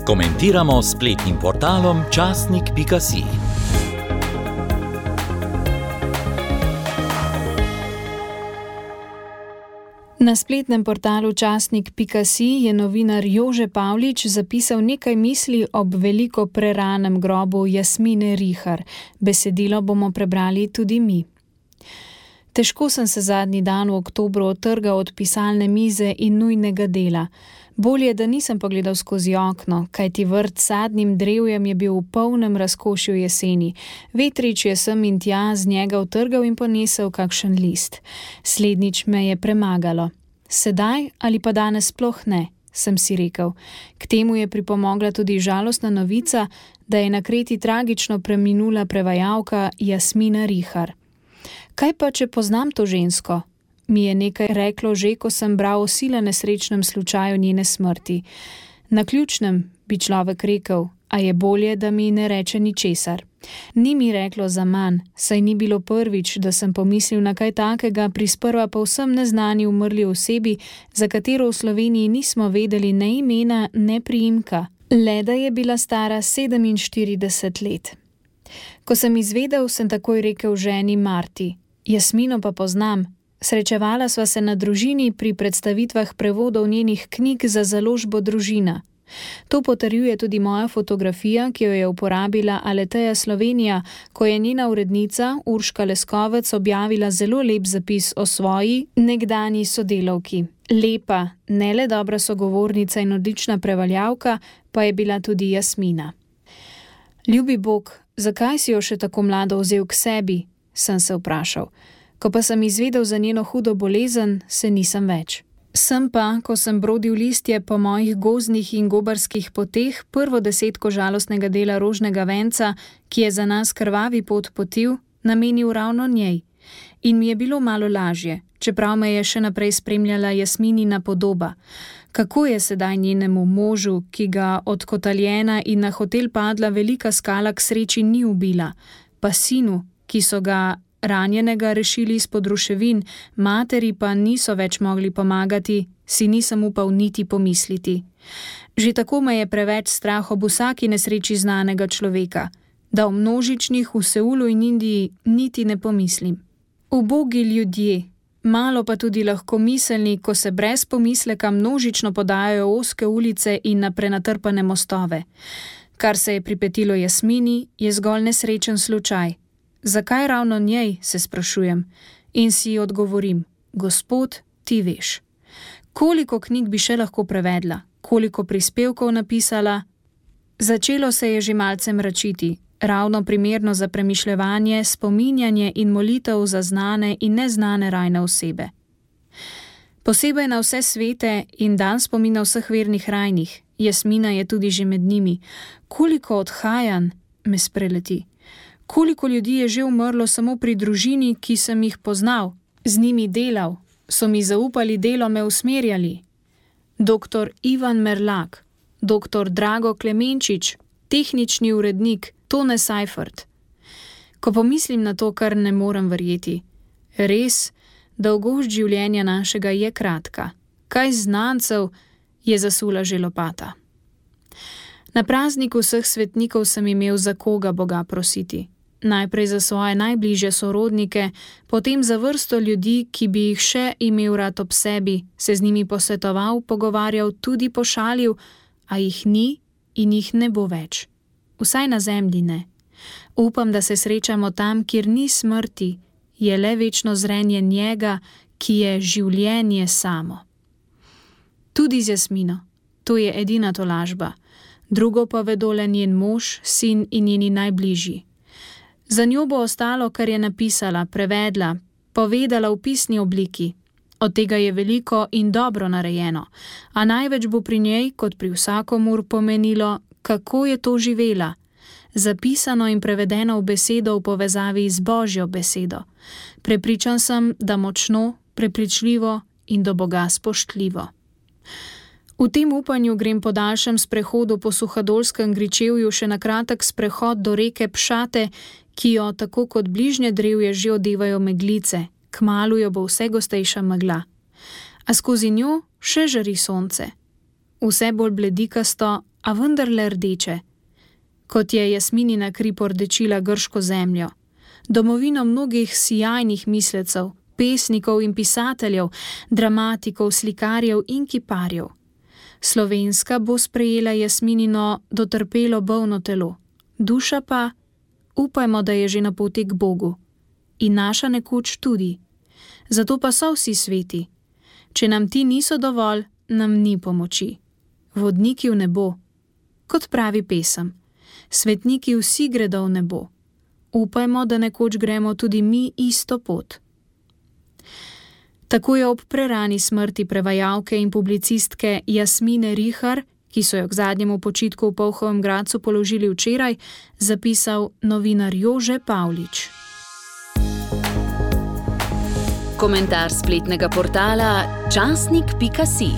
Komentiramo s spletnim portalom časnik.si. Na spletnem portalu časnik.si je novinar Jože Pavlič zapisal nekaj misli ob veliko preranem grobu Jasmine Rihar. Besedilo bomo prebrali tudi mi. Težko sem se zadnji dan v oktobru otrgal od pisalne mize in nujnega dela. Bolje, da nisem pogledal skozi okno, kajti vrt s sadnim drevjem je bil v polnem razkošju jeseni. Vetrič je sem in tja z njega utrgal in ponesel kakšen list. Slednjič me je premagalo. Sedaj ali pa danes sploh ne, sem si rekel. K temu je pripomogla tudi žalostna novica, da je na Kreti tragično preminula prevajalka Jasmina Rihar. Kaj pa, če poznam to žensko? Mi je nekaj reklo že, ko sem bral o sila nesrečnem slučaju njene smrti. Naključnem, bi človek rekel, a je bolje, da mi ne reče ničesar. Ni mi reklo zaman, saj ni bilo prvič, da sem pomislil na kaj takega pri sprva povsem neznani umrli osebi, za katero v Sloveniji nismo vedeli ne imena, ne priimka, le da je bila stara 47 let. Ko sem izvedel, sem takoj rekel ženi Marti. Jasmino pa poznam. Srečevala sva se na družini pri predstavitvah prevodov njenih knjig za založbo Družina. To potrjuje tudi moja fotografija, ki jo je uporabila Aleteja Slovenija, ko je njena urednica Urška Leskovec objavila zelo lep zapis o svoji nekdanji sodelavki. Lepa, ne le dobra sogovornica in odlična prevajalka, pa je bila tudi Jasmina. Ljubi Bog, zakaj si jo še tako mlado vzel k sebi, sem se vprašal. Ko pa sem izvedel za njeno hudo bolezen, se nisem več. Sem pa, ko sem brodil listje po mojih gozdnih in gobarskih poteh, prvo desetko žalostnega dela Rožnega venca, ki je za nas krvavi pot potil, namenil ravno njej. In mi je bilo malo lažje, čeprav me je še naprej spremljala Jasminina podoba. Kako je sedaj njenemu možu, ki ga odkotaljena in na hotel padla velika skala k sreči ni ubila, pa sinu, ki so ga ranjenega rešili izpod ruševin, materi pa niso več mogli pomagati, si nisem upal niti pomisliti. Že tako me je preveč strah ob vsaki nesreči znanega človeka, da o množičnih v Seulu in Indiji niti ne pomislim. Ubogi ljudje, malo pa tudi lahko miselni, ko se brez pomisleka množično podajajo ozke ulice in na prenatrpane mostove. Kar se je pripetilo Jasmini, je zgolj nesrečen slučaj. Zakaj ravno njej, se sprašujem, in si odgovorim, Gospod, ti veš. Koliko knjig bi še lahko prevedla, koliko prispevkov napisala? Začelo se je že malce mračiti, ravno primerno za premišljevanje, spominjanje in molitev za znane in neznane rajne osebe. Posebej na vse svete in dan spomina vseh vernih rajnih, Jasmina je tudi že med njimi. Koliko odhajanj me spreleti? Koliko ljudi je že umrlo samo pri družini, ki sem jih poznal, z njimi delal, so mi zaupali delo, me usmerjali. Dr. Ivan Merlak, dr. Drago Klemenčič, tehnični urednik Tone Seifert. Ko pomislim na to, kar ne morem verjeti. Res, dolgost življenja našega je kratka. Kaj znancev je zasula že lopata. Na prazniku vseh svetnikov sem imel za koga Boga prositi. Najprej za svoje najbližje sorodnike, potem za vrsto ljudi, ki bi jih še imel rad ob sebi, se z njimi posvetoval, pogovarjal, tudi pošalil, a jih ni in jih ne bo več. Vsaj na zemlji ne. Upam, da se srečamo tam, kjer ni smrti, je le večno zrenje njega, ki je življenje samo. Tudi z Jasmino. To je edina tolažba. Drugo pa vedo le njen mož, sin in njeni najbližji. Za njo bo ostalo, kar je napisala, prevedla, povedala v pisni obliki. Od tega je veliko in dobro narejeno, a največ bo pri njej, kot pri vsakomur, pomenilo, kako je to živela. Zapisano in prevedeno v besedo v povezavi z Božjo besedo. Prepričan sem, da močno, prepričljivo in do Boga spoštljivo. V tem upanju grem po daljšem sprehodu po Suhadolskem gričevju še na kratek sprehod do reke Pšate, ki jo tako kot bližnje drevje že odevajo meglice, kmalu jo bo vse gostejša megla. A skozi njo še žari sonce. Vse bolj bledikasto, a vendarle rdeče. Kot je Jasminina kri pordečila grško zemljo, domovino mnogih sijajnih mislecev, pesnikov in pisateljev, dramatikov, slikarjev in kiparjev. Slovenska bo sprejela Jasminino dotrpelo bolno telo, duša pa, upajmo, da je že na poti k Bogu. In naša nekoč tudi. Zato pa so vsi sveti. Če nam ti niso dovolj, nam ni pomoči. Vodniki v nebo. Kot pravi pesem, svetniki vsi gredo v nebo. Upajmo, da nekoč gremo tudi mi isto pot. Tako je ob prerani smrti prevajalke in publicistke Jasmine Rihar, ki so jo k zadnjemu počitku v Polhovem Gradcu položili včeraj, zapisal novinar Jože Pavlič. Komentar spletnega portala časnik.si.